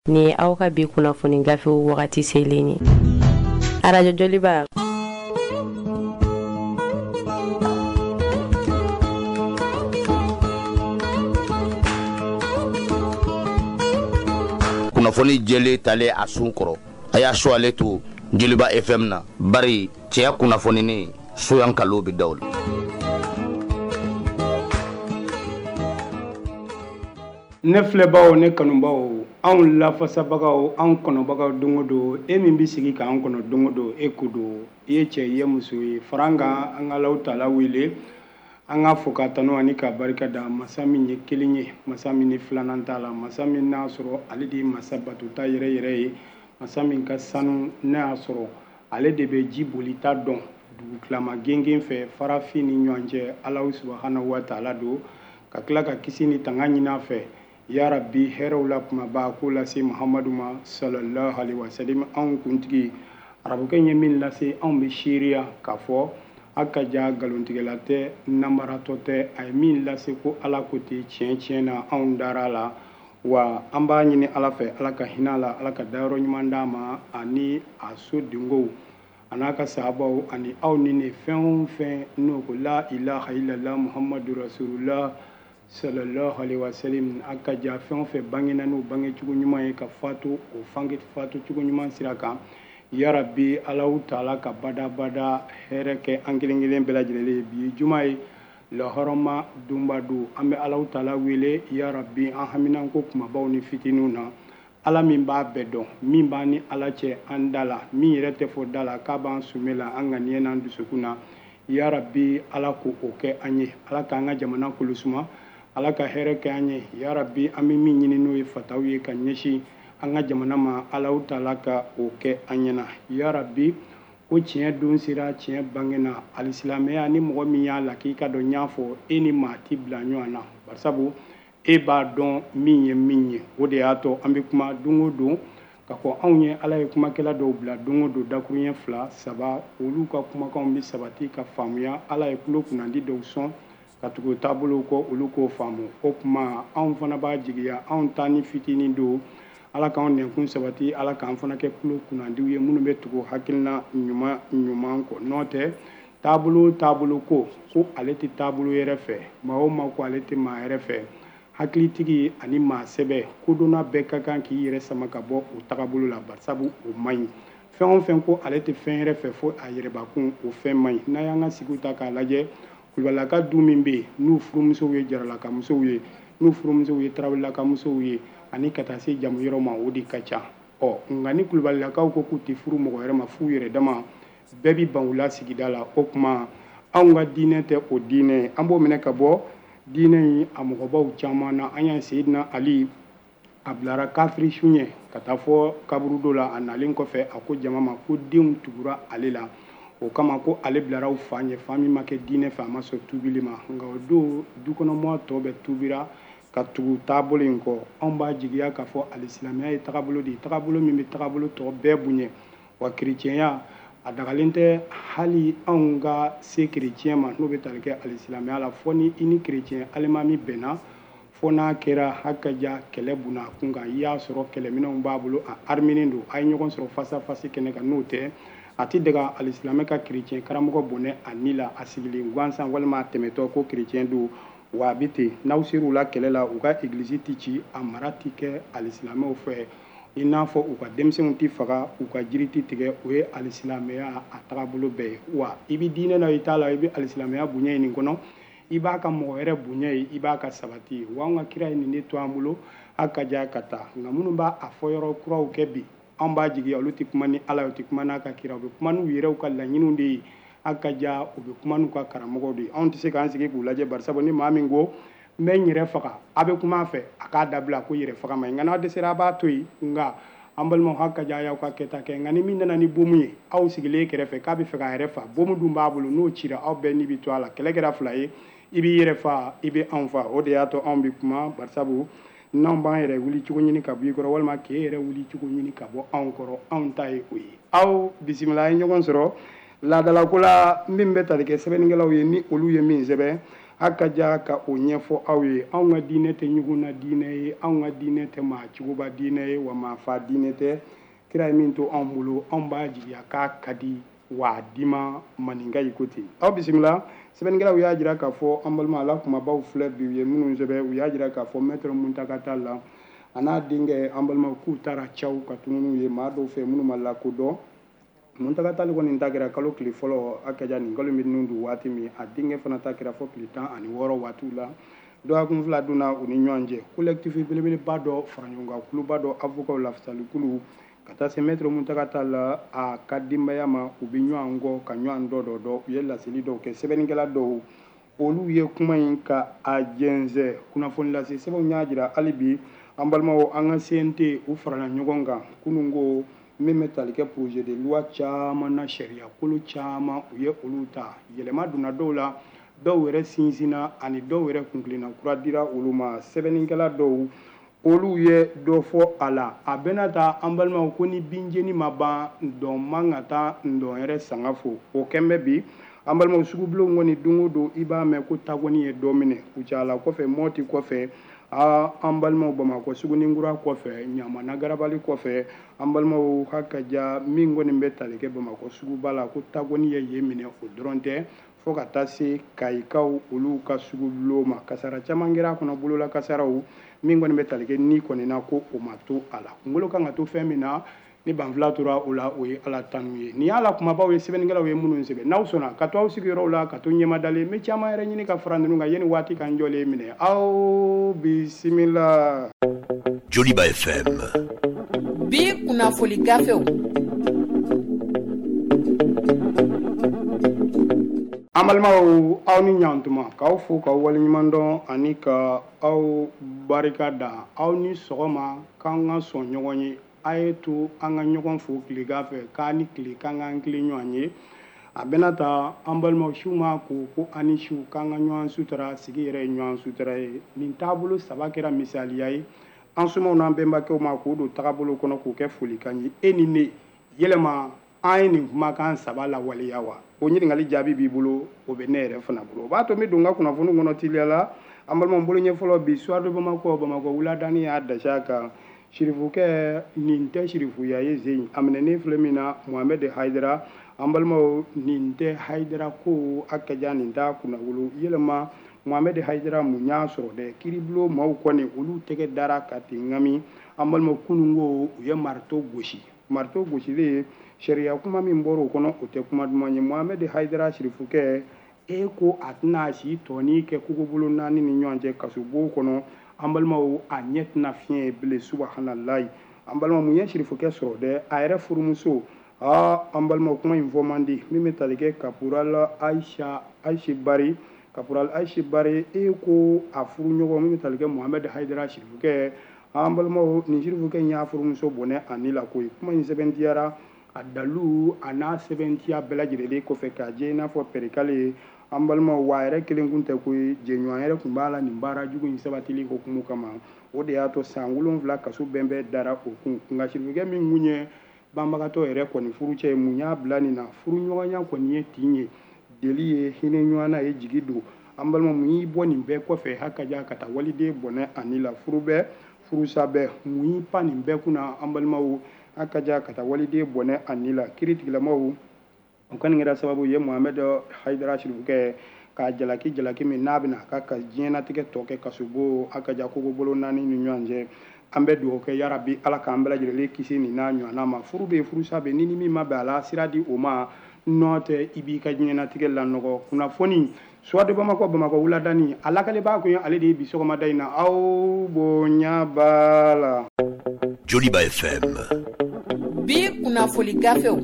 Nin ye aw ka bi kunnafoni gafew wagati selen ye. Arajo Joliba. Kunnafoni jɛlen talen a sun kɔrɔ, a y'a su ale to Joliba FM na, bari cɛya kunnafoninen soyan kalo bɛ da o la. Ne filɛbaw, ne kanubaw, anw lafasabagaw, anw kɔnɔbagaw don o don, e min bɛ sigi k'an kɔnɔ don o don, e ko don, i ye cɛ, i ye muso ye, fara an kan, an ka Alahu taala wele, an k'a fo k'a tanu ani k'a barika da masa min ye kelen ye, masa min ni filanan t'a la, masa min n'a sɔrɔ ale de ye masa batota yɛrɛ yɛrɛ ye, masa min ka sanu n'a y'a sɔrɔ ale de bɛ ji bolita dɔn dugutilama gengen fɛ farafin ni ɲɔgɔn cɛ, Alahu subahanahu wa taala don, ka tila ka kisi ni tanga ɲini a fɛ, ya rabbi hɛrɛw la kumaba k'o lase Muhamadu ma sallallahu alaihi wasallam, anw kuntigi. Arabukɛ ye min lase anw bɛ seereya k'a fɔ a ka ja nkalontigɛla tɛ, namaratɔ tɛ, a ye min lase ko Ala ko ten, tiɲɛ tiɲɛ na anw dara a la, wa an b'a ɲini Ala fɛ, Ala ka hinɛ a la, Ala ka dayɔrɔ ɲuman d'a ma, ani a so dengow, a n'a ka sahabaw, ani aw ni ne fɛn o fɛn n'o ko la ilaha illallah muhammadu rasulullah sallallahu alaihi wasallam, a ka ja fɛn o fɛn bangena n'o bangecogo ɲuman ye ka fatu o fatu cogo ɲuman sira kan, ya rabbi Alahu taala ka badabada hɛrɛ kɛ an kelen kelen bɛɛ lajɛlen ye. Bi ye juma ye, lahɔrɔma donba don, an bɛ Alahu taala wele, ya rabbi an haminanko kumabaw ni fitininw na, Ala min b'a bɛɛ dɔn, min b'an ni Ala cɛ an da la, min yɛrɛ tɛ fɔ da la k'a b'an sume la an ŋaniya n'an dusukun na, ya rabbi Ala k'o kɛ an ye, Ala k'an ka jamana kolosuma, Ala ka hɛrɛ kɛ an ye, ya rabbi an bɛ min ɲini n'o ye fataw ye ka ɲɛsin an ka jamana ma, Alahu taala ka o kɛ an ɲɛna, ya rabbi ko tiɲɛ don sera, tiɲɛ bangena, alisilamɛya ni mɔgɔ min y'a la k'i ka dɔn n y'a fɔ e ni maa ti bila ɲɔgɔn na, barisabu e b'a dɔn min ye min ye, o de y'a to an bɛ kuma don o don ka fɔ anw ye Ala ye kumakɛla dɔw bila don o don dakuruɲɛ 2 3, olu ka kumakanw bɛ sabati ka faamuya, Ala ye tulo kunnandi dɔw sɔn ka tugu taabolow kɔ, olu k'o faamu. O tuma anw fana b'a jigiya anw ta ni fitinin don, Ala k'anw nɛnkun sabati, Ala k'an fana kɛ tulo kunnandiw ye minnu bɛ tugu hakilina ɲuman ɲuman kɔ. N'o tɛ taabolo taabolo ko ale tɛ taabolo yɛrɛ fɛ, maa o maa ko ale tɛ maa yɛrɛ fɛ, hakilitigi ani maa sɛbɛ kodɔnna bɛɛ ka kan k'i yɛrɛ sama ka bɔ o tagabolo la, barisabu o man ɲi. Fɛn o fɛn ko ale tɛ fɛn yɛrɛ fɛ fo a yɛrɛbakun, o fɛn man ɲi. N'a y'an ka sigiw ta k'a lajɛ, Kulubalilaka du min bɛ yen n'u furumusow ye jaralakamusow ye, n'u furumusow ye tarawelelakamusow ye, ani ka taa se jamu yɔrɔ ma, o de ka ca. Ɔ nka ni kulubalilakaw ko k'u tɛ furu mɔgɔ wɛrɛ ma f'u yɛrɛ dama, bɛɛ bɛ ban u la sigida la. O tuma anw ka diinɛ tɛ o diinɛ ye, an b'o minɛ ka bɔ diinɛ in a mɔgɔbaw caman na. An y'a Seyidina Ali a bilara kafiri su ɲɛ ka taa fɔ kaburudo la, a nalen kɔfɛ a ko jama ma ko denw tugura ale la, o kama ko ale bilara u fa ɲɛ, fa min ma kɛ diinɛ fɛ, a ma sɔn tubili ma. Nka o don dukɔnɔmɔgɔ tɔ bɛɛ tubira ka tugu taabolo in kɔ. Anw b'a jigiya k'a fɔ alisilamɛya ye tagabolo de ye, tagabolo min bɛ tagabolo tɔ bɛɛ bonya. Wa kerecɛnya a dagalen tɛ hali anw ka se kerecɛn ma n'o bɛ tali kɛ alisilamɛya la, fɔ ni i ni kerecɛn alimami bɛnna, fɔ n'a kɛra hakaja kɛlɛ bunna a kun kan, i y'a sɔrɔ kɛlɛminɛnw b'a bolo, a arminen don, a ye ɲɔgɔn sɔrɔ face à face kɛnɛ kan. N'o tɛ a tɛ daga alisilamɛ ka kerecɛn karamɔgɔ bɔnɛ a ni la, a sigilen gansan walima a tɛmɛtɔ ko kerecɛn don. Wa a bɛ ten, n'aw ser'u la kɛlɛ la, u ka egilizi tɛ ci, a mara tɛ kɛ alisilamɛw fɛ, i n'a fɔ u ka denmisɛnw tɛ faga, u ka jiri tɛ tigɛ. O ye alisilamɛya a tagabolo bɛɛ ye. Wa i bɛ diinɛ na i t'a la, i bɛ alisilamɛya bonya ye nin kɔnɔ, i b'a ka mɔgɔ wɛrɛ bonya ye, i b'a ka sabati ye. Wa anw ka kira ye nin de to an bolo, a ka ja ka taa. Nka minnu b'a a fɔ yɔrɔ kuraw kɛ bi, anw b'a jigiya olu tɛ kuma ni Ala ye, u tɛ kuma n'a ka kira, u bɛ kuma n'u yɛrɛw ka laɲiniw de ye, a ka ja u bɛ kuma n'u ka karamɔgɔw de ye. Anw tɛ se k'an sigi k'u lajɛ, barisabu ni maa min ko n bɛ n yɛrɛ faga, a bɛ kuma a fɛ, a k'a dabila ko yɛrɛ faga ma ɲi. Nka n'a dɛsɛra a b'a to yen. Nka an balimaw, hali ka ja a y'aw ka kɛta kɛ. Nka ni min nana ni bomu ye aw sigilen kɛrɛfɛ k'a bɛ fɛ k'a yɛrɛ fa, bomu dun b'a bolo, n'o cira aw bɛɛ ni bɛ to a la. Kɛlɛ kɛra fila ye, i b'i yɛrɛ fa, i bɛ anw fa. O de y'a to anw bɛ kuma, barisabu n'anw b'an yɛrɛ wuli cogo ɲini ka bɔ i kɔrɔ, walima k'e yɛrɛ wuli cogo ɲini ka bɔ anw kɔrɔ, anw ta ye o ye. Aw bisimila, an ye ɲɔgɔn sɔrɔ laadalako la min bɛ tali kɛ sɛbɛnnikɛlaw ye, ni olu ye min sɛbɛn. A ka ja ka o ɲɛfɔ aw ye. Anw ka diinɛ tɛ ɲugunna diinɛ ye, anw ka diinɛ tɛ maa cogoba diinɛ ye, wa maa fa diinɛ tɛ. Kira ye min to anw bolo, anw b'a jigiya k'a ka di wa a dima maninka yi ko ten. Aw bisimila. Sɛbɛnnikɛlaw y'a jira k'a fɔ an balima ala kumabaw filɛ bi, u ye minnu sɛbɛn, u y'a jira k'a fɔ maître Muntaka Tall la a n'a denkɛ, an balimaw, k'u taara caw ka tununu ye maa dɔw fɛ minnu ma lakodɔn. Muntaka Tall kɔni ta kɛra kalo tile fɔlɔ, a ka ja nin kalo min don waati min, a denkɛ fana ta kɛra fɔ tile 16 waatiw la. Dɔgɔkun 2 donna u ni ɲɔgɔn cɛ. Collectif belebeleba dɔ fara ɲɔgɔn kan, kuluba dɔ, avocat lafasalikulu, ka taa se maître Muntaka Tall la a ka denbaya ma, u bɛ ɲɔgɔn kɔ ka ɲɔgɔn dɔ dɔ dɔ. U ye laseli dɔw kɛ, sɛbɛnnikɛla dɔw olu ye kuma in ka a jɛnsɛn. Kunnafoni lase sɛbɛnw y'a jira hali bi, an balimaw, an ka CNT u farala ɲɔgɔn kan kunun ko min bɛ tali kɛ projet de loi caman na, sariya kolo caman u ye olu ta, yɛlɛma donna dɔw la, dɔw yɛrɛ sinsinna, ani dɔw yɛrɛ kuntilenna kura dira olu ma. Sɛbɛnnikɛla dɔw olu ye dɔ fɔ a la. A bɛna ta an balimaw, ko ni binjeni ma ban, dɔn man ka taa ndɔn yɛrɛ sanga fo. O kɛn bɛ bi an balimaw, sugubulonw kɔni don o don i b'a mɛn ko tagoni ye dɔ minɛ Kucala kɔfɛ, Mɔti kɔfɛ, aa an balimaw, Bamakɔ Suguninkura kɔfɛ, Ɲamana Garabali kɔfɛ, an balimaw, ha ka ja min kɔni bɛ tali kɛ Bamakɔ suguba la, ko tagoni ye yen minɛ. O dɔrɔn tɛ, fo ka taa se Kayikaw olu ka sugubulon ma, kasara caman kɛra a kɔnɔ, bolola kasaraw min kɔni bɛ tali kɛ ni kɔni na, ko o ma to a la. Kunkolo kan ka to fɛn min na, ni banfila tora o la, o ye Ala tanu ye. Nin y'a la kumabaw ye, sɛbɛnnikɛlaw ye minnu sɛbɛn. N'aw sɔnna ka to aw sigiyɔrɔw la, ka to ɲɛmadalen, n bɛ caman yɛrɛ ɲini ka fara ninnu kan yanni waati ka n jɔlen minɛ. Aw bisimila. Joliba FM. Bi kunnafoni gafew. An balimaw, aw ni ɲantuma, k'aw fo k'aw waleɲuman dɔn ani ka aw barika da. Aw ni sɔgɔma, k'an ka sɔn ɲɔgɔn ye. A ye to an ka ɲɔgɔn fo tilegan fɛ, k'an ni tile, k'an k'an tilen ɲɔgɔn ye. A bɛna ta an balimaw, siw ma ko ko an ni siw, k'an ka ɲɔgɔn sutura, sigi yɛrɛ ye ɲɔgɔn sutura ye. Nin taabolo saba kɛra misaliya ye an somaw n'an bɛnbakɛw ma, k'o don tagabolo kɔnɔ, k'o kɛ folikan ye. E ni ne, yɛlɛma an ye nin kumakan saba lawaleya wa? O ɲininkali jaabi b'i bolo, o bɛ ne yɛrɛ fana bolo. O b'a to n bɛ don n ka kunnafoni kɔnɔ teliya la. An balimaw, bolo ɲɛ fɔlɔ bi, Soir de Bamako, Bamakɔ wuladani y'a dasi a kan. Sirifukɛ nin tɛ sirifuya ye zen, a minɛnen filɛ min na, Mohamed Haidara. An balimaw, nin tɛ Haidara ko a ka ja, nin t'a kunnawolo. Yɛlɛma Mohamed Haidara mun y'a sɔrɔ dɛ? Kiribulon maaw kɔni olu tɛgɛ dara ka ten ŋami. An balimaw, kunun ko u ye marteau gosi. Marteau gosilen, sariya kuma min bɔra o kɔnɔ, o tɛ kuma duman ye. Mohamed Haidara sirifukɛ, e ko a tɛna si tɔni kɛ kogobolo naani ni ɲɔgɔn cɛ kasobon kɔnɔ. An balimaw, a ɲɛ tɛna fiɲɛ ye bilen, subahanallahi. An balimaw, mun ye sirifukɛ sɔrɔ dɛ? A yɛrɛ furumuso, aa an balimaw, kuma in fɔ man di, min bɛ tali kɛ caporal Aisha, Aisha Bari, caporal Aisha Bari, e ko a furuɲɔgɔn min bɛ tali kɛ Mohamed Haidara sirifukɛ. An balimaw, nin sirifukɛ in y'a furumuso bɔnɛ a ni la koyi. Kuma in sɛbɛntiyara, a dalu a n'a sɛbɛntiya bɛɛ lajɛlen kɔfɛ k'a jɛ i n'a fɔ pɛrikale ye. An balimaw, wa a yɛrɛ kelen kun tɛ koyi, jɛɲɔgɔn yɛrɛ kun b'a la nin baara jugu in sabatili hukumu kama. O de y'a to san 7 kaso bɛnbɛn dara o kun. Nka sirifukɛ min kun ye banbagatɔ yɛrɛ kɔni furucɛ ye, mun y'a bila nin na? Furuɲɔgɔnya kɔni ye tin ye, deli ye, hinɛ ɲɔgɔn na ye, jigi don. An balima, mun y'i bɔ nin bɛɛ kɔfɛ hakaja ka taa waliden bɔnɛ ani la? Furu bɛɛ, furusa bɛɛ, mun y'i pan nin bɛɛ kunna? An balimaw, hakaja ka taa waliden bɔnɛ ani la. Kiiritigilamaw o kɔni kɛra sababu ye Mohamed Haidara sirifukɛ k'a jalaki, jalaki min n'a bɛna a ka diɲɛnatigɛ tɔ kɛ kasobo hakaja kogo bolo naani ni ɲɔgɔn cɛ. An bɛ dugawu kɛ, yarabi Ala k'an bɛɛ lajɛlen kisi nin n'a ɲɔgɔnna ma. Furu bɛ yen, furusa bɛ, ni ni min ma bɛn a la, sira di o ma, n'o tɛ i b'i ka diɲɛnatigɛ lanɔgɔ. Kunnafoni Soir de Bamako, Bamakɔ wuladani, a lakalibaa kun ye ale de ye bi sɔgɔmada in na. Aw bonya b'a la. Joliba FM. Bi kunnafoni gafew.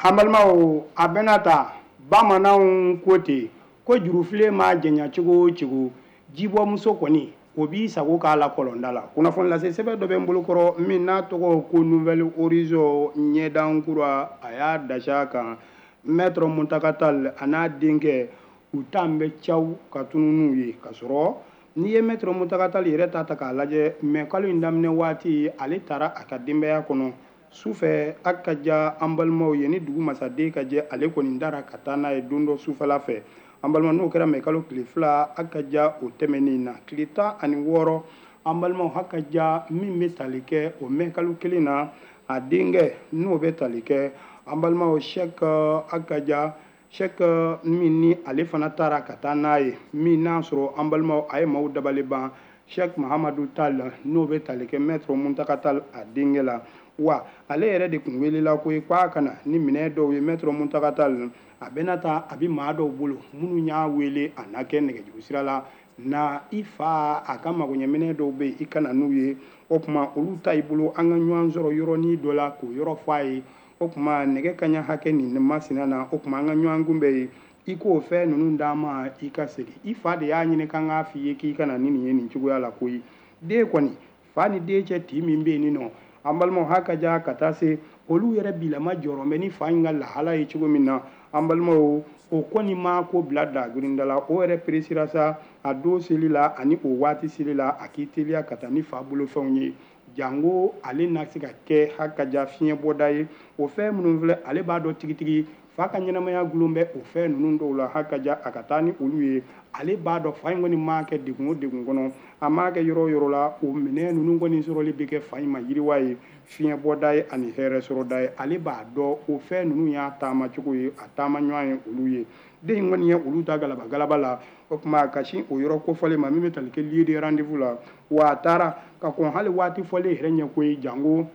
An balimaw, a bɛna ta bamananw ko ten ko jurufilen ma janya cogo o cogo, jibɔmuso kɔni o b'i sago k'a la kɔlɔnda la. Kunnafoni lase sɛbɛn dɔ bɛ n bolokɔrɔ min n'a tɔgɔ ko Nouvel Horizon ɲɛdankura, a y'a dasi a kan. Maître Muntaka Tall a n'a denkɛ u tan bɛ caw ka tununu ye. K'a sɔrɔ n'i ye Maître Muntaka Tall yɛrɛ ta k'a lajɛ, mɛ kalo in daminɛ waati ale taara a ka denbaya kɔnɔ. Sufɛ a ka ja an balimaw ye ni dugu masaden ka jɛ, ale kɔni dara ka taa n'a ye don dɔ sufɛla fɛ. An balima, n'o kɛra mɛ kalo tile 2 a ka ja o tɛmɛnen na, tile 16, an balimaw, ha ka ja min bɛ tali kɛ o mɛ kalo kelen na, a denkɛ n'o bɛ tali kɛ, an balimaw, Sɛk a ka ja Sɛk min ni ale fana taara ka taa n'a ye, min n'a sɔrɔ, an balimaw, a ye maaw dabali ban, Sɛk Mahamadu Tal n'o bɛ tali kɛ Maître Muntaka Tal a denkɛ la. Wa ale yɛrɛ de tun welela ko ye k'a ka na ni minɛn dɔw ye. Maître Muntaka Tal a bɛna taa, a bɛ maa dɔw bolo minnu y'a wele a na kɛ nɛgɛjuru sira la na i fa a ka magoɲɛminɛ dɔw bɛ yen, i ka na n'u ye. O tuma olu ta i bolo, an ka ɲɔgɔn sɔrɔ yɔrɔnin dɔ la k'o yɔrɔ fɔ a ye. O tuma nɛgɛ kaɲa hakɛ nin masina na, o tuma an ka ɲɔgɔn kunbɛn ye, i k'o fɛn ninnu d'an ma, i ka segin. I fa de y'a ɲini k'an k'a f'i ye k'i ka na ni nin ye nin cogoya la koyi. Den kɔni, fa ni den cɛ tin min bɛ yen nin nɔ, an balimaw, ha ka ja ka taa se olu yɛrɛ bilama jɔrɔ bɛ ni fa in ka lahala ye cogo min na. An balimaw, o kɔni ma ko bila dagirinda la, o yɛrɛ peresira sa a don seli la ani o waati seli la, a k'i teliya ka taa ni fa bolofɛnw ye, jango ale na se ka kɛ ha ka ja fiɲɛbɔda ye. O fɛn minnu filɛ, ale b'a dɔn tigitigi fa ka ɲɛnamaya gulon bɛ o fɛn ninnu dɔw la. Ha ka ja a ka taa ni olu ye, ale b'a dɔn fa in kɔni m'a kɛ degun o degun kɔnɔ, a m'a kɛ yɔrɔ o yɔrɔ la, o minɛn ninnu kɔni sɔrɔli bɛ kɛ fa in ma yiriwa ye, fiɲɛbɔda ye ani hɛrɛ sɔrɔda ye. Ale b'a dɔn o fɛn ninnu y'a taama cogo ye, a taama ɲɔgɔn ye olu ye. Den in kɔni ye olu ta galaba galaba la. O tuma ka sin o yɔrɔ kofɔlen ma min bɛ tali kɛ lieu de rendez-vous la, wa a taara ka kɔn hali waati fɔlen yɛrɛ ɲɛ koyi, jango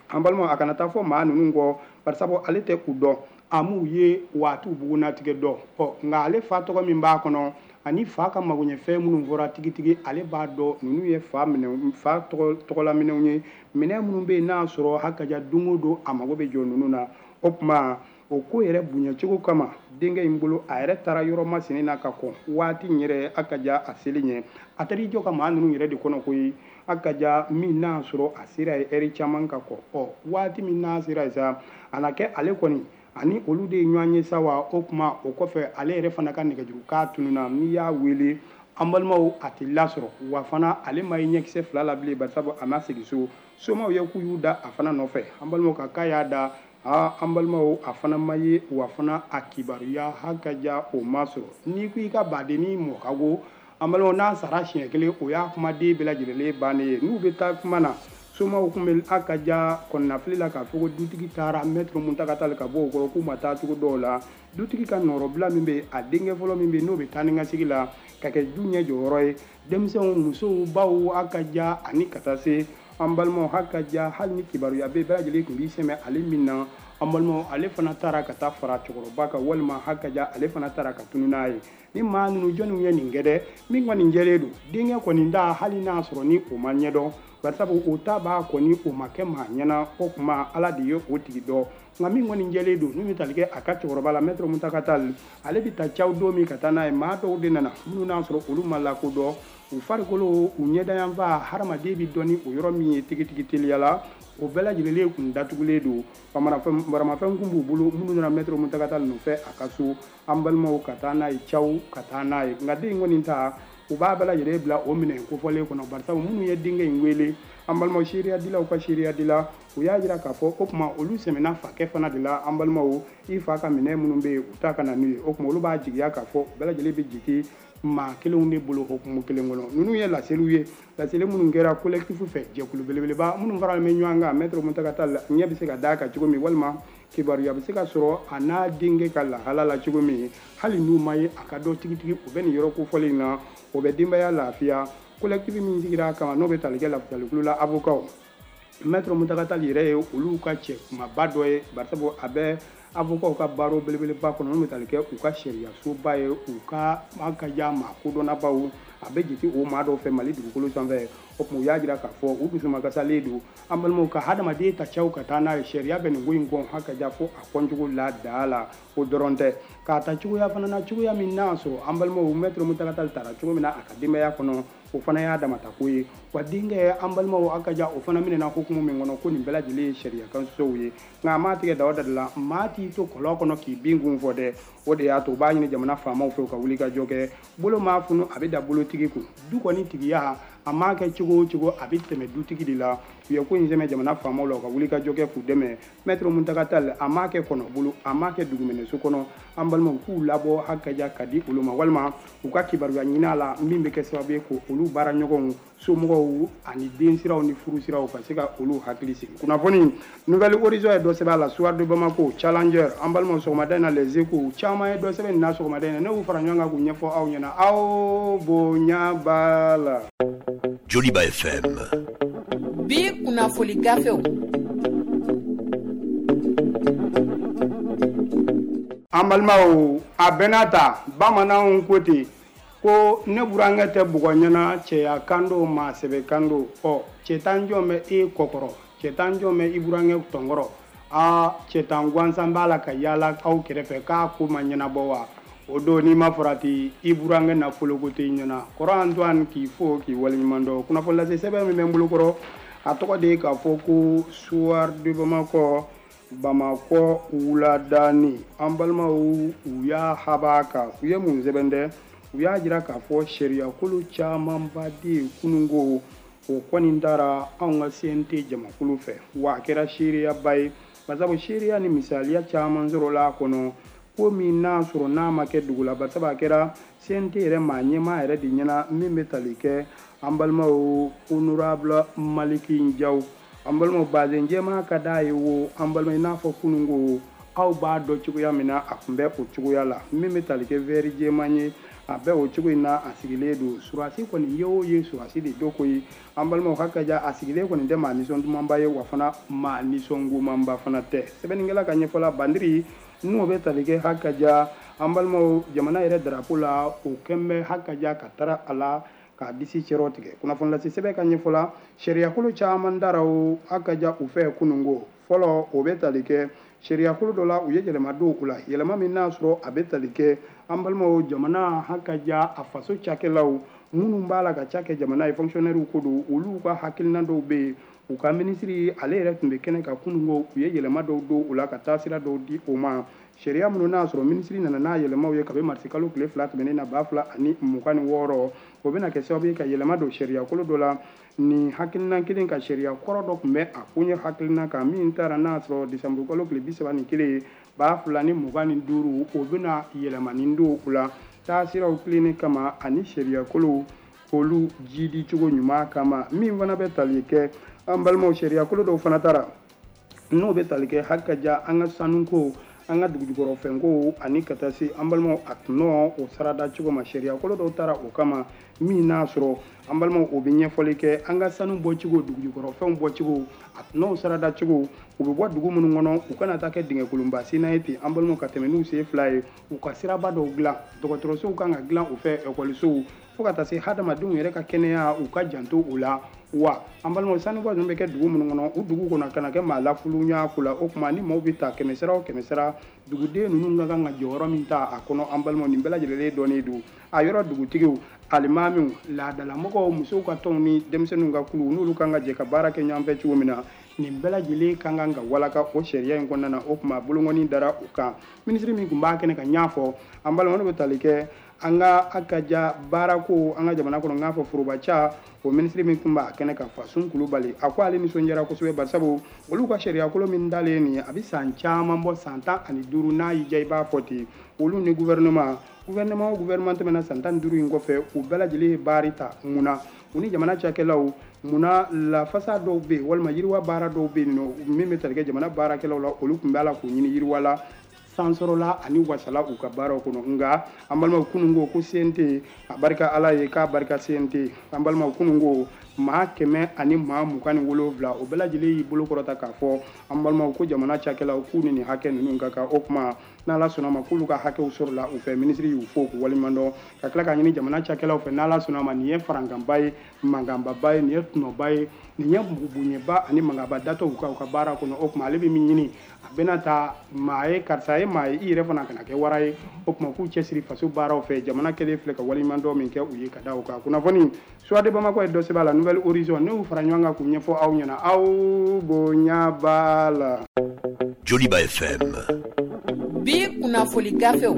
an balima a kana taa fɔ maa ninnu kɔ, barisabu ale tɛ u dɔn, a m'u ye wa a t'u bugunnatigɛ dɔn. Ɔ nka ale fa tɔgɔ min b'a kɔnɔ ani fa ka magoɲɛfɛn minnu fɔra tigitigi, ale b'a dɔn ninnu ye fa minɛ fa tɔgɔla minɛnw ye, minɛn minnu bɛ yen n'a sɔrɔ hakaja don o don a mago bɛ jɔ ninnu na. O tuma o ko yɛrɛ bonyacogo kama denkɛ in bolo, a yɛrɛ taara yɔrɔ masinin na ka kɔn waati in yɛrɛ a ka ja a seli ɲɛ. A taara i jɔ ka maa ninnu yɛrɛ de kɔnɔ koyi, a ka ja min n'a sɔrɔ a sera ye ɛri caman ka kɔn. Ɔ waati min n'a sera yen sa, a na kɛ ale kɔni ani olu de ye ɲɔgɔn ye sa. Wa o tuma o kɔfɛ, ale yɛrɛ fana ka nɛgɛjuru k'a tununna. N'i y'a wele, an balimaw, a tɛ lasɔrɔ. Wa fana ale ma ye ɲɛkisɛ fila la bilen, barisabu a ma segin so. Somaw ye k'u y'u da a fana nɔfɛ, an balimaw, ka k'a y'a da aa, an balimaw, a fana ma ye. Wa fana a kibaruya hakaja o ma sɔrɔ. N'i ko i ka badenni mɔ ka go, an balimaw, n'a sara siɲɛ kelen, o y'a kumaden bɛɛ lajɛlen bannen ye. N'u bɛ taa kuma na, somaw tun bɛ a ka ja kɔnɔnafili la k'a fɔ ko dutigi taara Maître Muntaka Tall ka bɔ o kɔrɔ, k'u ma taa cogo dɔw la. Dutigi ka nɔrɔbila min bɛ, a denkɛ fɔlɔ min bɛ, n'o bɛ taa ni ka sigi la ka kɛ du ɲɛ jɔyɔrɔ ye, denmisɛnw, musow, baw, a ka ja ani ka taa se an balimaw, ha ka ja hali ni kibaruya bɛ bɛɛ lajɛlen tun b'i sɛmɛ ale min na, an balimaw, ale fana taara ka taa fara cɛkɔrɔba kan, walima ha ka ja ale fana taara ka tunu n'a ye. Ni maa ninnu jɔnniw ye nin kɛ dɛ, min kɔni jɛlen don, denkɛ kɔni da, hali n'a sɔrɔ ni o ma ɲɛdɔn, barisabu o ta b'a kɔni o ma kɛ maa ɲɛna. O tuma Ala de ye o tigi dɔn. Nka min kɔni jɛlen don, min bɛ tali kɛ a ka cɛkɔrɔba la, Maître Muntaka Tall, ale bɛ taa caw don min ka taa n'a ye, maa dɔw de nana minnu n'a sɔrɔ olu ma lakodɔn. U farikolo, u ɲɛdayanfa, hadamaden bɛ dɔn ni o yɔrɔ min ye tigitigi teliya la, o bɛɛ lajɛlen kun datugulen don. Baramafɛn kun b'u bolo minnu nana Maître Muntaka Tall nɔfɛ a ka so, an balimaw, ka taa n'a ye caw ka taa n'a ye. Nka den in kɔni ta, u b'a bɛɛ lajɛlen bila o minɛn kofɔlen kɔnɔ, barisabu minnu ye denkɛ in wele, an balimaw, seereyadilaw ka seereyadila, u y'a jira k'a fɔ o tuma olu sɛmɛna fakɛ fana de la. An balimaw, i fa ka minɛn minnu bɛ yen, u ta ka na n'u ye. O tuma olu b'a jigiya k'a fɔ bɛɛ lajɛlen bɛ jigin maa kelenw de bolo hukumu kelen kɔnɔ. Ninnu ye laseliw ye, laseli minnu kɛra collectif fɛ, jɛkulu belebeleba minnu faralen bɛ ɲɔgɔn kan Maître Muntaka Tall ɲɛ bɛ se ka d'a kan cogo min, walima kibaruya bɛ se ka sɔrɔ a n'a denkɛ ka lahala la cogo min, hali n'u ma ye a ka dɔn tigitigi u bɛ nin yɔrɔ kofɔlen in na, o bɛ denbaya lafiya. Collectif min sigira a kama, n'o bɛ tali kɛ lafasalikulu la, avocat Maître Muntaka Tall yɛrɛ ye olu ka cɛ kumaba dɔ ye, barisabu a bɛ avocat ka baara belebeleba kɔnɔ minnu bɛ tali kɛ u ka sariyasoba ye, u ka an ka ja maa kodɔnnabaw, a bɛ jate o maa dɔw fɛ Mali dugukolo sanfɛ. O tuma u y'a jira k'a fɔ u dusumakasalen don, an balimaw, ka hadamaden ta caw ka taa n'a ye. Sariya bɛ nin ko in kɔn ha ka ja fo a kɔncogo la daa la. O dɔrɔn tɛ, k'a ta cogoya fana na, cogoya min n'a sɔrɔ, an balimaw, Maître Muntaka Tall taara cogo min na a ka denbaya kɔnɔ, o fana y'a damata ko ye. Wa denkɛ, an balimaw, a ka ja o fana minɛna hukumu min kɔnɔ, ko nin bɛɛ lajɛlen ye sariya kan sɔsɔw ye. Nka a m'a tigɛ dawa da la, maa t'i to kɔlɔn kɔnɔ k'i bin kun fɔ dɛ. O de y'a to u b'a ɲini jamana faamaw fɛ u ka wuli ka jɔ kɛ. Bolo maa funu, a bɛ da bolotigi kun. Du kɔni tigiya A m'a kɛ cogo o cogo, a bɛ tɛmɛ dutigi de la. U ye ko in sɛmɛ jamana faamaw la, u ka wuli ka jɔ kɛ k'u dɛmɛ. Maître Mountaga Tall, a m'a kɛ kɔnɔ bolo, a m'a kɛ duguminɛso kɔnɔ. An balimaw, k'u labɔ hakaja ka di olu ma, walima u ka kibaruya ɲini a la min bɛ kɛ sababu ye ko olu baara ɲɔgɔnw, somɔgɔw ani densiraw ni furusiraw ka se ka olu hakili sigi. Kunnafoni Nouvelle Horizon ye dɔ sɛbɛn a la, Soir de Bamako, Challenger, an balimaw, sɔgɔmada in na Les Échos caman ye dɔ sɛbɛn nin na sɔgɔmada in na. Ne y'u fara ɲɔgɔn kan k'u ɲɛfɔ aw ɲɛna, aw bonya b'a la. Joliba FM. Bi kunnafoli gafew. An balimaw, a bɛɛ ta bamananw ko ten ko ne burankɛ tɛ bugɔ ɲɛna, cɛya kan don, maa sɛbɛ kan don. Ɔ cɛ tan jɔn bɛ e kɔkɔrɔ, cɛ tan jɔn bɛ i burankɛ tɔnkɔrɔ. Aa, cɛ tan gansan b'a la ka yaala aw kɛrɛfɛ k'a ko ma ɲɛnabɔ wa? O don n'i ma farati, i burankɛ nafolo ko tɛ ɲɛna. Kɔrɔ Antoine, k'i fo k'i waleɲuman dɔn. Kunnafoni lase sɛbɛn min bɛ n bolo kɔrɔ, a tɔgɔ de ye k'a fɔ ko Soir de Bamako, Bamakɔ wuladani. An balimaw, u y'a haba kan, u ye mun sɛbɛn dɛ? U y'a jira k'a fɔ sariyakolo camanba de ye kununko o kɔni taara anw ka CNT jamakulu fɛ, wa a kɛra seereyaba ye, basabu seereya ni misaliya caman sɔrɔla a kɔnɔ. Ko min n'a sɔrɔ n'a ma kɛ dugu la, basabu a kɛra CNT yɛrɛ maa ɲɛmaa yɛrɛ de ɲɛna min bɛ tali kɛ an balimaw honorable Maliki Jaw. An balimaw, bazen jɛman ka d'a ye wo. An balimaw, i n'a fɔ kununko aw b'a dɔn cogoya min na, a tun bɛ o cogoya la. Min bɛ tali kɛ vɛri jɛman ye, a bɛ o cogo in na, a sigilen don. Surasi kɔni ye o ye, surasi de dɔ koyi. An balimaw, ka ja a sigilen kɔni tɛ maa nisɔn dumanba ye, wa fana maa nisɔngomanba fana tɛ. Sɛbɛnnikɛla ka ɲɛfɔla, bandiri n'o bɛ tali kɛ hakaja an balimaw jamana yɛrɛ darapo la, o kɛn bɛ hakaja ka taara a la k'a disi cɛrɔ tigɛ. Kunnafoni lase sɛbɛn ka ɲɛfɔla, sariyakolo caman dara o hakaja u fɛ kununko. Fɔlɔ, o bɛ tali kɛ sariyakolo dɔ la, u ye yɛlɛma don o la, yɛlɛma min n'a sɔrɔ a bɛ tali kɛ an balimaw jamana hakaja a faso cakɛlaw minnu b'a la ka ca kɛ jamana ye, fonctionnaire ko don, olu ka hakilina dɔw bɛ yen. U ka minisiri ale yɛrɛ tun bɛ kɛnɛ kan kununko, u ye yɛlɛma dɔw don o la ka taa sira dɔw di o ma. Sariya minnu n'a sɔrɔ minisiri nana n'a yɛlɛmaw ye kabi marisikalo tile 2 tɛmɛnen na 2026, o bɛna kɛ sababu ye ka yɛlɛma don sariyakolo dɔ la. Nin hakilina kelen ka sariya kɔrɔ dɔ tun bɛ a koɲɛ hakilina kan min taara n'a sɔrɔ desanburukalo tile 31 2025, o bɛna yɛlɛmani don o la taasiraw tilennen kama ani sariyakolo olu jidi cogo ɲuman kama. Min fana bɛ tali kɛ an balimaw sariyakolo dɔw fana taara n'o bɛ tali kɛ hakaja an ka sanuko, an ka dugujukɔrɔfɛnko ani ka taa se an balimaw a tɔnɔ o sarada cogo ma. Sariyakolo dɔw taara o kama min n'a sɔrɔ an balimaw o bɛ ɲɛfɔli kɛ an ka sanu bɔcogo, dugujukɔrɔfɛnw bɔcogo, a tɔnɔw sarada cogo, u bɛ bɔ dugu minnu kɔnɔ, u kana taa kɛ dingɛkolonba senna ye ten an balimaw ka tɛmɛ n'u sen fila ye. U ka siraba dɔw dilan, dɔgɔtɔrɔsow kan ka dilan u fɛ, ekɔlisow, fo ka taa se hadamadenw yɛrɛ ka kɛnɛya, u ka janto o la. Wa an balimaw, sanubɔ ninnu bɛ kɛ dugu minnu kɔnɔ, u dugu kɔnɔ kana kɛ maa lafulunya ko la. O tuma ni maaw bɛ ta kɛmɛ sara o kɛmɛ sara, duguden ninnu ka kan ka jɔyɔrɔ min ta a kɔnɔ, an balimaw, nin bɛɛ lajɛlen dɔnnen don. A yɔrɔ dugutigiw, alimaamiw, laadalamɔgɔw, musow ka tɔnw ni denmisɛnninw ka kulu, n'olu kan ka jɛ ka baara kɛ ɲɔgɔn fɛ cogo min na, nin bɛɛ lajɛlen ka kan ka walaka o sariya in kɔnɔna na. O tuma bolonkɔni dara o kan. Minisiri min tun b'a kɛnɛ ka ɲɛ fɔ an balimaw, n'o bɛ tali kɛ an ka akaja baarako an ka jamana kɔnɔ, n k'a fɔ forobaca, o minisiri min tun b'a kɛnɛ kan, Fasun Kulubali, a ko ale nisɔndiyara kosɛbɛ, barisabu olu ka sariyakolo min dalen nin ye, a bɛ san caman bɔ, san 15 n'a y'i diya i b'a fɔ ten. Olu ni gouvernement o gouvernement tɛmɛna san 15 in kɔfɛ, u bɛɛ lajɛlen ye baari ta. Mun na u ni jamana cakɛlaw, munna lafasa dɔw bɛ yen walima yiriwa baara dɔw bɛ yen nɔ min bɛ tali kɛ jamana baarakɛlaw la, olu tun b'a la k'u ɲini yiriwa la, sansɔrɔla ani wasala u ka baaraw kɔnɔ. Nka an balimaw, kunun ko CNT a barika Ala ye k'a barika CNT. An balimaw, kunun ko maa 127, o bɛɛ lajɛlen y'i bolo kɔrɔta k'a fɔ an balimaw ko jamana cakɛlaw k'u ni nin hakɛ ninnu ka kan. O tuma n'Ala sɔnna ma k'olu ka hakɛw sɔrɔla u fɛ. Minisiri y'u fo k'u waleɲuman dɔn, ka tila k'a ɲini jamana cakɛlaw fɛ, n'Ala sɔnna ma nin ye farankanba ye, mankanbaba ye, nin ye tɔnɔba ye, nin ye bonyaba ani mankanba datɔ u ka baara kɔnɔ. O tuma ale bɛ min ɲini, a bɛna taa maa ye, karisa ye maa ye, i yɛrɛ fana kana kɛ wara ye. O tuma k'u cɛsiri faso baaraw fɛ. Jamana kɛlen filɛ ka waleɲuman dɔn min kɛ u ye ka da o kan. Kunnafoni Soir de Bamako ye dɔ sɛbɛn a la, Nouvelle Horizon, ne y'u fara ɲɔgɔn kan k'u ɲɛfɔ aw ɲɛna, aw bonya b'a la. Joliba FM. Bi kunnafoli gafew.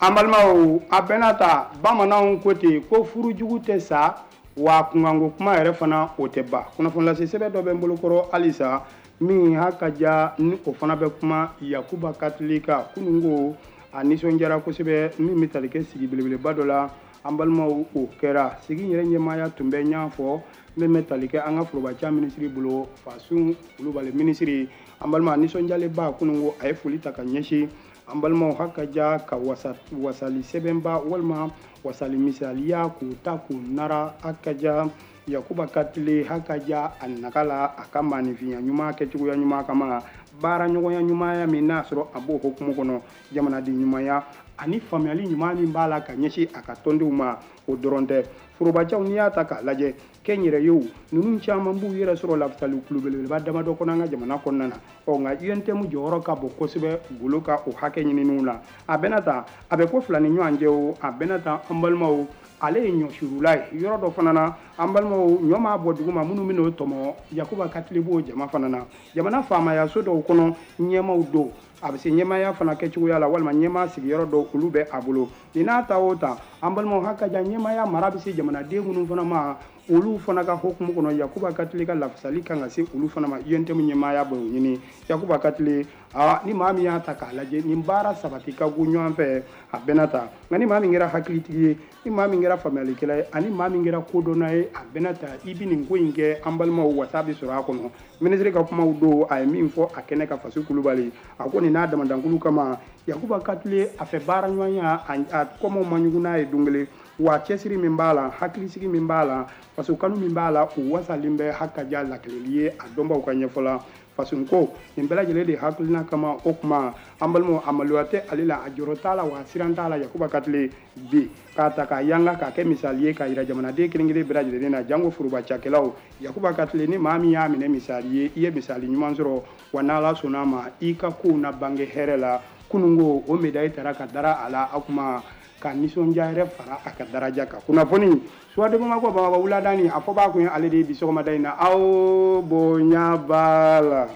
An balimaw, a bɛnna ta, bamananw ko ten ko furujugu tɛ sa, wa kunkanko kuma yɛrɛ fana o tɛ ban. Kunnafoni lase sɛbɛn dɔ bɛ n bolokɔrɔ halisa min ha ka ja ni o fana bɛ kuma Yakuba Katile kan. Kunun ko a nisɔndiyara kosɛbɛ min bɛ tali kɛ sigi belebeleba dɔ la. An balimaw, o kɛra sigi yɛrɛ ɲɛmaaya tun bɛ ɲan fɔ min bɛ tali kɛ an ka forobaca minisiri bolo, Fasun Kulubali minisiri. An balima, nisɔndiyalenba, kunun ko a ye foli ta ka ɲɛsin an balimaw ha ka ja ka wasali sɛbɛnba walima wasali misaliya k'u ta k'u nara ha ka ja Yakuba Katile ha ka ja a naga la a ka maaninfinya ɲuman kɛcogoya ɲuman kama, baara ɲɔgɔnya ɲumanya min n'a sɔrɔ a b'o hukumu kɔnɔ, jamanaden ɲumanya ani faamuyali ɲuman min b'a la ka ɲɛsin a ka tɔndenw ma. O dɔrɔn tɛ, forobacaw n'i y'a ta k'a lajɛ kɛnyɛrɛyew ninnu caman b'u yɛrɛ sɔrɔ lafasali kulu belebeleba damadɔ kɔnɔ an ka jamana kɔnɔna na. Ɔ nka UNTM jɔyɔrɔ ka bon kosɛbɛ golo ka o hakɛ ɲininiw la. A bɛna ta, a bɛ ko fila ni ɲɔgɔn cɛ o, a bɛna ta an balimaw, ale ye ɲɔsurula ye yɔrɔ dɔ fana na. An balimaw, ɲɔ m'a bɔ dugu ma minnu bɛn'o tɔmɔ, Yakuba Katile b'o jama fana na. Jamana faamayaso dɔw kɔnɔ ɲɛmaw don, a bɛ se ɲɛmaaya fana kɛcogoya la walima ɲɛmaa sigiyɔrɔ dɔw olu bɛ a bolo. Nin n'a ta o ta, an balimaw, ha ka jan ɲɛmaaya mara bɛ se jamanaden minnu fana ma, olu fana ka hukumu kɔnɔ Yakuba Katile ka lafasali kan ka se olu fana ma. UNTM ɲɛmaaya b'o ɲini Yakuba Katile. Aa, ni maa min y'a ta k'a lajɛ, nin baara sabati ka go ɲɔgɔn fɛ, a bɛnna ta. Nka ni maa min kɛra hakilitigi ye, ni maa min kɛra faamuyalikɛla ye, ani maa min kɛra kodɔnna ye, a bɛnna ta, i bɛ nin ko in kɛ, an balimaw, wasa bɛ sɔrɔ a kɔnɔ. Minisiri ka kumaw don, a ye min fɔ a kɛnɛ ka Faso Kulubali, a ko nin n'a damadankulu kama Yakuba Katile a fɛ baara ɲɔgɔnya a kɔmɔw ma ɲugun n'a ye don kelen, wa cɛsiri min b'a la, hakilisigi min b'a la, faso kanu min b'a la, o wasalen bɛ ha ka ja lakileli ye a dɔnbaw ka ɲɛfɔ la. Faso ko nin bɛɛ lajɛlen de hakilina kama, o kuma an balimaw, a maloya tɛ ale la, a jɔrɔ t'a la, wa a siran t'a la. Yakuba Katile bi k'a ta k'a yanga k'a kɛ misali ye k'a yira jamanaden kelen kelen bɛɛ lajɛlen na, jango foroba cakɛlaw. Yakuba Katile, ni maa min y'a minɛ misali ye, i ye misali ɲuman sɔrɔ, wa n'Ala sɔnna a ma, i ka kow na bange hɛrɛ la. Kununko o médaille taara ka dara a la, a kuma ka nisɔndiya yɛrɛ fara a ka daraja kan. Kunnafoni Soir de Bamako, Bamakɔ wuladani, a fɔ b'a kun ye ale de ye bi sɔgɔmada in na. Aw bonya b'a la.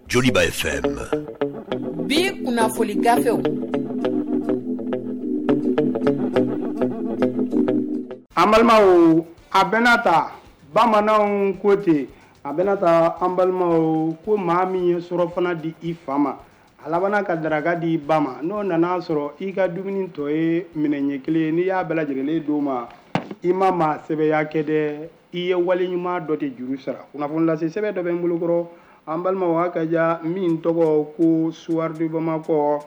Joliba FM. Bi kunnafoni gafew. An balimaw, a bɛnna ta, bamananw ko ten, a bɛnna ta, an balimaw, ko maa min ye surɔfana di i fa ma, a labanna ka daraka di i ba ma, n'o nana sɔrɔ i ka dumuni tɔ ye minɛn ɲɛ kelen, n'i y'a bɛɛ lajɛlen d'o ma, i ma maa sɛbɛya kɛ dɛ, i ye wale ɲuman dɔ de juru sara. Kunnafoni lase sɛbɛn dɔ bɛ n bolokɔrɔ, an balimaw, ha ka ja min tɔgɔ ko Soir de Bamako,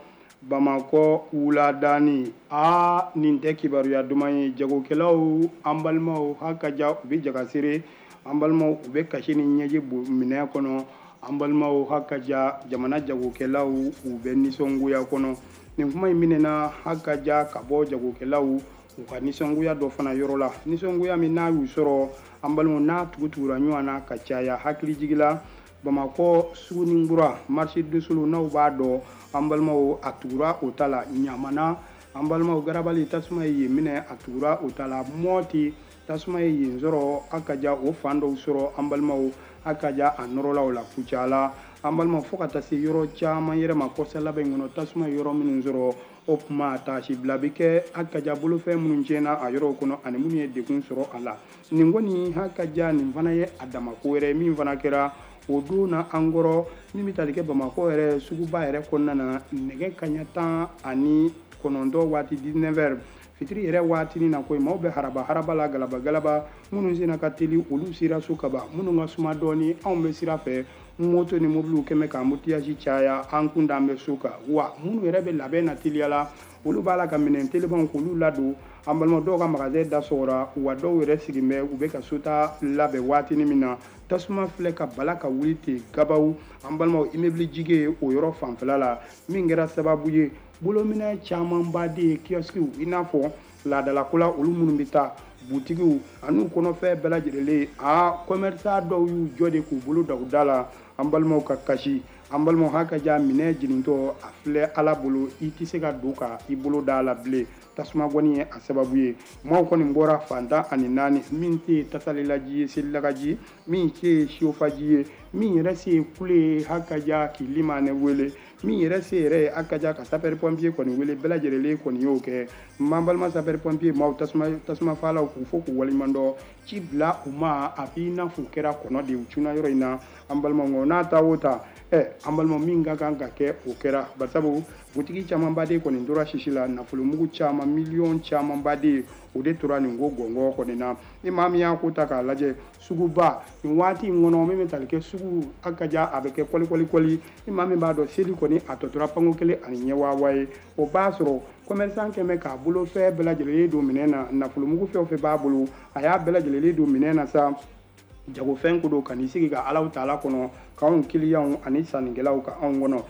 Bamakɔ wuladani. Aa, nin tɛ kibaruya duman ye. Jagokɛlaw, an balimaw, ha ka ja u bɛ jagasere, an balimaw, u bɛ kasi ni ɲɛji minɛn kɔnɔ. An balimaw, ha ka ja jamana jagokɛlaw, u bɛ nisɔngoya kɔnɔ. Nin kuma in minɛna ha ka ja ka bɔ jagokɛlaw u ka nisɔngoya dɔ fana yɔrɔ la, nisɔngoya min n'a y'u sɔrɔ, an balimaw, n'a tugutugura ɲɔgɔn na ka caya. Hakilijigila, Bamakɔ Suguninkura marché de Solo, n'aw b'a dɔn, an balimaw, a tugura o ta la. Ɲamana, an balimaw, garabali tasuma ye yen minɛ, a tugura o ta la. Mɔti tasuma ye yen sɔrɔ, a ka ja o fan dɔw sɔrɔ, an balimaw, a ka ja a nɔrɔlaw la. Kucala, an balimaw, fo ka taa se yɔrɔ caman yɛrɛ ma kɔsa labɛn kɔnɔ, tasuma ye yɔrɔ minnu sɔrɔ, o kuma taasibila bɛ kɛ a ka ja bolofɛn minnu tiɲɛna a yɔrɔw kɔnɔ ani minnu ye degun sɔrɔ a la. Nin kɔni ha ka ja nin fana ye a dama ko wɛrɛ min fana kɛra o don na an kɔrɔ, min bɛ tali kɛ Bamakɔ yɛrɛ suguba yɛrɛ kɔnɔna na, nɛgɛ kanɲɛ 19 waati, 19 heures, fitiri yɛrɛ waatinin na koyi, maaw bɛ haraba haraba la, galaba galaba. Minnu senna ka teli, olu sera so kaban, minnu ka suma dɔɔni, anw bɛ sira fɛ, moto ni mobiliw kɛmɛ ka embouteillage caya, an kun d'an bɛ so kan. Wa minnu yɛrɛ bɛ labɛn na teliya la, olu b'a la ka minɛn telimanw k'olu ladon. An balima dɔw ka magasin da sɔgɔra, wa dɔw yɛrɛ sigilen bɛ, u bɛ ka sota labɛn waatinin min na, tasuma filɛ ka bala ka wuli ten gabaw, an balimaw, immeuble jige o yɔrɔ fanfɛla la, min kɛra sababu ye bolominɛ camanba de ye, kiosque, i n'a fɔ laadalako la olu minnu bɛ taa butigiw an'u kɔnɔfɛn bɛɛ lajɛlen. Aa, commerçant dɔw y'u jɔ de k'u bolo da u da la, an balimaw, ka kasi. An balimaw, haka ja minɛ jenintɔ a filɛ Ala bolo, i tɛ se ka don ka i bolo da la bilen. Tasuma gɔni ye a sababu ye. Maaw kɔni bɔra fantan ani naani, min tɛ tasalilaji ye, selilakaji, min tɛ siyofaji ye, min yɛrɛ se ye kule ye, haka ja k'i limanɛ wele, min yɛrɛ se yɛrɛ ye haka ja ka sapeur pompier kɔni wele, bɛɛ lajɛlen kɔni y'o kɛ. M'an balima sapeur pompier maaw, tasuma falaw k'u fo k'u waleɲuman dɔn, ci bila u ma a b'i n'a fɔ u kɛra kɔnɔ de ye, u cunna yɔrɔ in na. An balimaw, n'a ta o ta, an balima, min ka kan ka kɛ o kɛra, barisabu butigi camanba de kɔni tora sisi la, nafolomugu caman, miliyɔn camanba de o de tora nin ko gɔngɔn kɔni na. Ni maa min y'a ko ta k'a lajɛ, suguba nin waati in kɔnɔ min bɛ tali kɛ sugu, a ka ja a bɛ kɛ kɔli kɔli kɔli. Ni maa min b'a dɔn seli kɔni a tɔ tora panko kelen ani ɲɛwaawa ye, o b'a sɔrɔ commerçant kɛmɛ k'a bolo fɛn bɛɛ lajɛlen don minɛn na, nafolomugu fɛn o fɛn b'a bolo a y'a bɛɛ lajɛlen don minɛn na sa, jagofɛn ko don, ka n'i sigi ka Alahu taala kɔnɔ, k'anw kiliyanw ani sannikɛlaw ka anw kɔnɔ.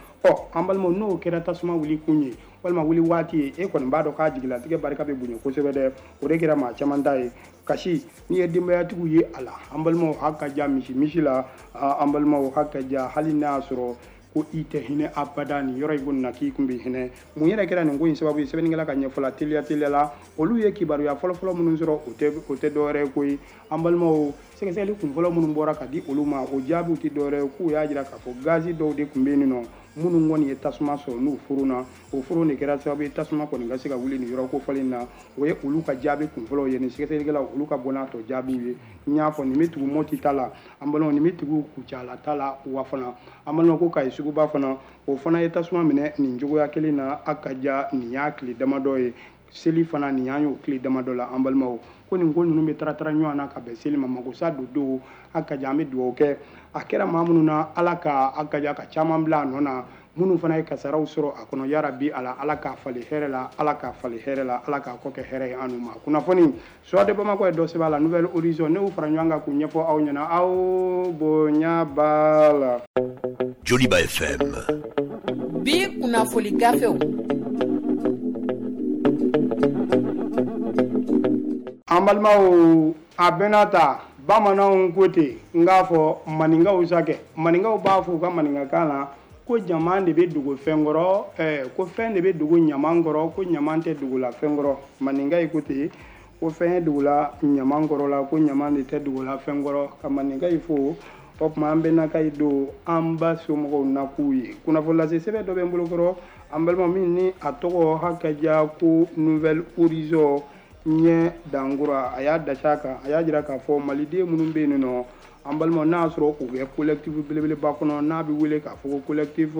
An balimaw, n'o kɛra tasuma wuli kun ye walima wuli waati ye, e kɔni b'a dɔn k'a jigilatigɛ barika bɛ bonya kosɛbɛ dɛ. O de kɛra maa caman ta ye. Kasi n'i ye denbayatigiw ye a la, an balimaw, haka ja misi la, an balimaw, haka ja hali n'a y'a sɔrɔ ko i tɛ hinɛ abada nin yɔrɔ in ko na k'i kun bɛ hinɛ. Mun yɛrɛ kɛra nin ko in sababu ye? Sɛbɛnnikɛla ka ɲɛfɔ la teliya teliya la, olu ye kibaruya fɔlɔfɔlɔ minnu sɔrɔ, o tɛ dɔwɛrɛ ye koyi. An balimaw, sɛgɛsɛgɛli kunfɔlɔ minnu bɔra ka di olu ma, o jaabiw tɛ dɔwɛrɛ ye k'u y'a jira k'a fɔ gazi dɔw de tun bɛ yen nɔ minnu kɔni ye tasuma sɔrɔ n'u furu na, o furu de kɛra sababu ye tasuma kɔni ka se ka wuli nin yɔrɔ kofɔlen na. O ye olu ka jaabi kunfɔlɔw ye, ni sɛgɛsɛgɛlikɛlaw olu ka bɔ n'a tɔ jaabiw ye. N y'a fɔ nin bɛ tugu Moti ta la, an balimaw, nin bɛ tugu Kucala ta la, wa fana an balimaw ko Kayi suguba fana, o fana ye tasuma minɛ nin cogoya kelen na. A ka ja nin y'a tile damadɔ ye, seli fana nin y'an y'o tile damadɔ la. An balimaw, ko nin ko ninnu bɛ taara ɲɔgɔn na ka bɛn seli ma, makosa don don. A ka ja an bɛ dugawu kɛ a kɛra maa minnu na, Ala ka a ka ja ka caman bila a nɔ na, minnu fana ye kasaraw sɔrɔ a kɔnɔ, yarabi Ala, Ala k'a falen hɛrɛ la, Ala k'a falen hɛrɛ la, Ala k'a kɔ kɛ hɛrɛ ye an n'u ma. Kunnafoni Soir de Bamako ye dɔ sɛbɛn a la, Nouvel Horizon, ne y'u fara ɲɔgɔn kan k'u ɲɛfɔ aw ɲɛna, aw bonya b'a la. Joliba FM. Bi kunnafoni gafew. An balimaw, a bɛnna ta bamananw ko ten, n k'a fɔ maninkaw sa kɛ, maninkaw b'a fɔ u ka maninkakan na ko ɲaman de bɛ dogo fɛn kɔrɔ, ko fɛn de bɛ dogo ɲaman kɔrɔ, ko ɲaman tɛ dogo la fɛn kɔrɔ. Maninka yi ko ten, ko fɛn ye dogo la ɲaman kɔrɔ la, ko ɲaman de tɛ dogo la fɛn kɔrɔ. Ka maninka yi fo, o tuma an bɛnna yi don an ba somɔgɔw na k'u ye. Kunnafoni lase sɛbɛn dɔ bɛ n bolo kɔrɔ, an balima, min ni a tɔgɔ haka ja ko Nouvel Horizon ɲɛ dankura, a y'a dasi a kan, a y'a jira k'a fɔ maliden minnu bɛ yen nɔ, an balima, n'a y'a sɔrɔ u bɛ collectif belebeleba kɔnɔ n'a bɛ wele k'a fɔ ko collectif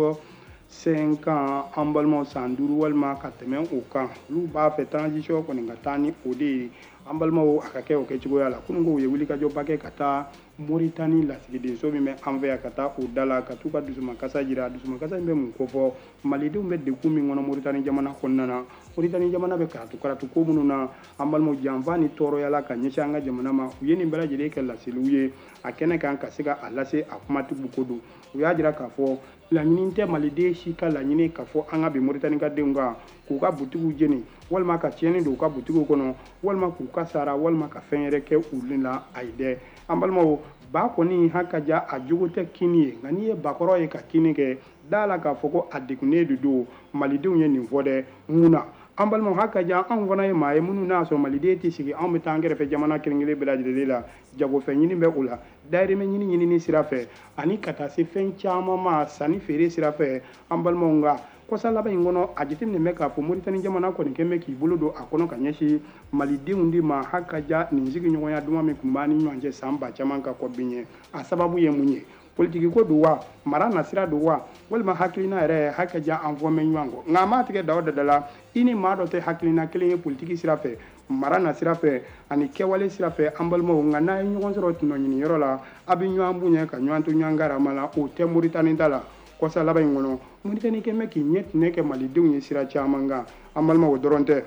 5 ans, an balimaw, san 5 walima ka tɛmɛ o kan, olu b'a fɛ transition kɔni ka taa ni o de ye. An balimaw, a ka kɛ o kɛcogoya la. Kunun ko u ye wulikajɔba kɛ ka taa Moritani lasigidenso min bɛ an fɛ yan, ka taa o da la, ka t'u ka dusumakasa jira. Dusumakasa in bɛ mun kofɔ? Malidenw bɛ degun min kɔnɔ Moritani jamana kɔnɔna na, Moritani jamana bɛ karatu karatu ko minnu na, an balimaw, janfa ni tɔɔrɔya la ka ɲɛsin an ka jamana ma, u ye nin bɛɛ lajɛlen kɛ laseliw ye a kɛnɛ kan ka se ka a lase a kumatigiw ko don. U y'a jira k'a fɔ laɲini tɛ maliden si ka laɲini k'a fɔ an ka bin Moritani ka denw kan, k'u ka butigiw jeni, walima ka tiɲɛni don u ka butigiw kɔnɔ, walima k'u ka sara, walima ka fɛn yɛrɛ kɛ u la. Ayi dɛ, an balimaw, ba kɔni haka ja a jogo tɛ kini ye, nka n'i ye bakɔrɔ ye ka kini kɛ, da la k'a fɔ ko a degunnen de don. Malidenw ye nin fɔ dɛ. Mun na an balimaw, haka ja anw fana ye maa ye minnu n'a sɔrɔ maliden tɛ sigi, anw bɛ taa an kɛrɛfɛ jamana kelen kelen bɛɛ lajɛlen la, jagofɛn ɲini bɛ o la, dayirimɛ ɲini ɲinini sira fɛ, ani ka taa se fɛn caman ma sanni feere sira fɛ. An balimaw, nka kɔsa laban in kɔnɔ, a jateminɛ bɛ k'a fɔ Moritani jamana kɔni kɛn bɛ k'i bolo don a kɔnɔ ka ɲɛsin malidenw de ma. Haka ja nin sigiɲɔgɔnya duman min tun b'an ni ɲɔgɔn cɛ san ba caman ka kɔ bin ye, a sababu ye mun ye? Politiki ko don wa, mara nasira don wa, walima hakilina yɛrɛ? Haka ja an fɔ mɛ ɲɔgɔn kɔ, nka a m'a tigɛ da o dada la, i ni maa dɔ tɛ hakilina kelen ye politiki sira fɛ, mara nasira fɛ, ani kɛwale sira fɛ. An balimaw, nka n'a ye ɲɔgɔn sɔrɔ tɔnɔ ɲiniyɔrɔ la, a bɛ ɲɔgɔn bonya ka ɲɔgɔn to ɲɔgɔn karama la, o tɛ Moritani ta la. Kɔsa laban in kɔnɔ, Moritani kɛn bɛ k'i ɲɛ tinɛ kɛ malidenw ye sira caman kan. An balimaw, o dɔrɔn tɛ,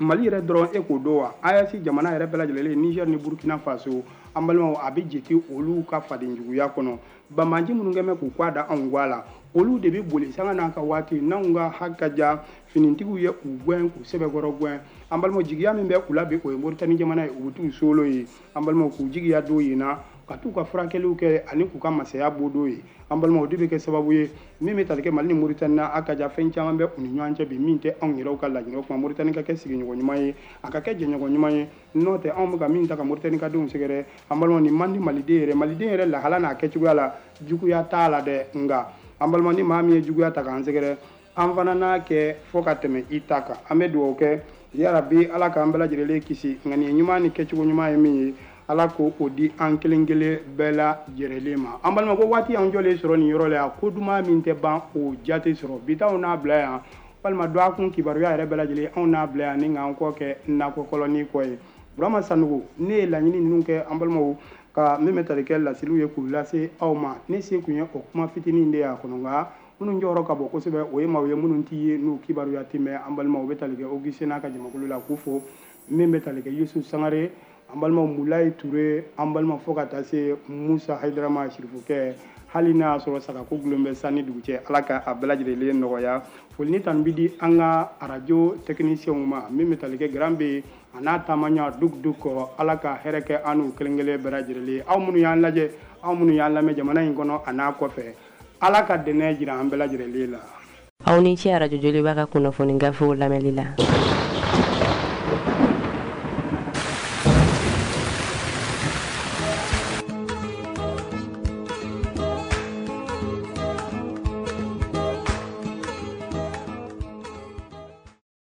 Mali yɛrɛ dɔrɔn e k'o dɔn wa, AES jamana yɛrɛ bɛɛ lajɛlen, Niger ni Burkina Faso, an balimaw, a bɛ jate olu ka fadenjuguya kɔnɔ. Banbanci minnu kɛn bɛ k'u kɔ da anw guwa la, olu de bɛ boli sanga n'a ka waati n'anw ka haka ja finitigiw ye u gɛn k'u sɛbɛkɔrɔ gɛn. An balimaw, jigiya min bɛ u la bi, o ye Moritani jamana ye, u bɛ t'u solo ye. An balimaw, k'u jigiya don yen na. ka t'u ka furakɛliw kɛ ani k'u ka masaya b'o ye. An balimaw, o de bɛ kɛ sababu ye min bɛ tali kɛ Mali ni Mauritanie na. A ka ja fɛn caman bɛ u ni ɲɔgɔn cɛ bi min tɛ anw yɛrɛw ka laɲini. O tuma, Mauritanie ka kɛ sigiɲɔgɔn ɲuman ye, a ka kɛ jɛɲɔgɔn ɲuman ye. N'o tɛ, anw bɛ ka min ta ka Mauritanie ka denw sɛgɛrɛ, an balimaw, nin man di maliden yɛrɛ. Maliden yɛrɛ lahala n'a kɛcogoya la, juguya t'a la dɛ. Nka an balima, ni maa min ye juguya ta k'an sɛgɛrɛ, an fana n'a kɛ fo ka tɛmɛ i ta kan. An bɛ dugawu kɛ, yarabi Ala k'an bɛɛ lajɛlen kisi. Ŋaniya ɲuman ni kɛcogo ɲuman ye min ye, Ala ko o di an kelen kelen bɛɛ lajɛlen ma. An balima, ko waati an jɔlen sɔrɔ nin yɔrɔ la yan, ko duman min tɛ ban, o jate sɔrɔ. Bi t'anw n'a bila yan, walima dɔgɔkun kibaruya yɛrɛ bɛɛ lajɛlen anw n'a bila yan, ni k'an kɔ kɛ nakɔ kɔlɔni kɔ ye. Burama Sanogo, ne ye laɲini ninnu kɛ, an balimaw, ka min bɛ tali kɛ laseliw ye k'u lase aw ma. Ne se tun ye o kuma fitinin de y'a kɔnɔ, nka minnu jɔyɔrɔ ka bon kosɛbɛ, o ye maaw ye minnu t'i ye, n'u kibaruya tɛ mɛn. An balimaw, u bɛ tali kɛ Augustin n'a ka jamakulu la, k'u fo. Min bɛ tali kɛ Yusuf Sangare, an balima Mulayi Ture, an balima, fo ka taa se Musa Hayidarama Sirifukɛ, hali n'a y'a sɔrɔ sagako gulon bɛ san ni dugu cɛ, Ala ka a bɛɛ lajɛlen nɔgɔya. Foli ni tanu bi di an ka arajo techniciens ma, min bɛ tali kɛ Grand B a n'a taamaɲa duk duk kɔ. Ala ka hɛrɛ kɛ an n'u kelen kelen bɛɛ lajɛlen. Aw minnu y'an lajɛ, aw minnu y'an lamɛn jamana in kɔnɔ a n'a kɔfɛ, Ala ka dɛnɛ jira an bɛɛ lajɛlen la. Aw ni ce Arajo Joliba ka kunnafoni gafew lamɛnli la.